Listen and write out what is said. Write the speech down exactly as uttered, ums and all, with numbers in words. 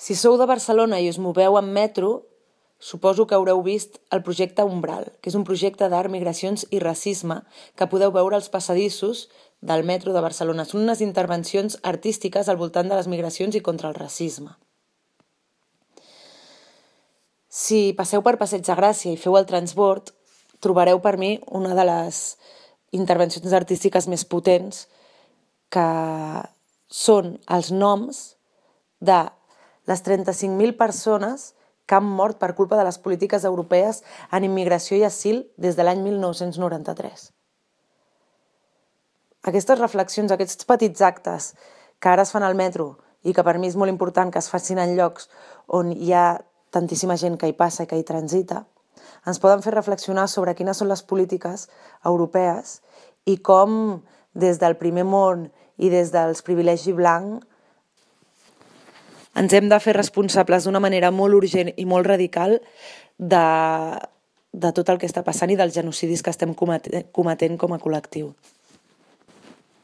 Si sou de Barcelona i us moveu en metro, suposo que haureu vist el projecte Umbral, que és un projecte d'art, migracions i racisme que podeu veure als passadissos del metro de Barcelona. Són unes intervencions artístiques al voltant de les migracions i contra el racisme. Si passeu per Passeig de Gràcia i feu el transbord, trobareu per mi una de les intervencions artístiques més potents, que són els noms de les trenta-cinc mil persones que han mort per culpa de les polítiques europees en immigració i asil des de l'any mil nou-cents noranta-tres. Aquestes reflexions, aquests petits actes que ara es fan al metro i que per mi és molt important que es facin en llocs on hi ha tantíssima gent que hi passa i que hi transita, ens poden fer reflexionar sobre quines són les polítiques europees i com des del primer món i des dels privilegis blancs ens hem de fer responsables d'una manera molt urgent i molt radical de, de tot el que està passant i dels genocidis que estem cometent com a col·lectiu.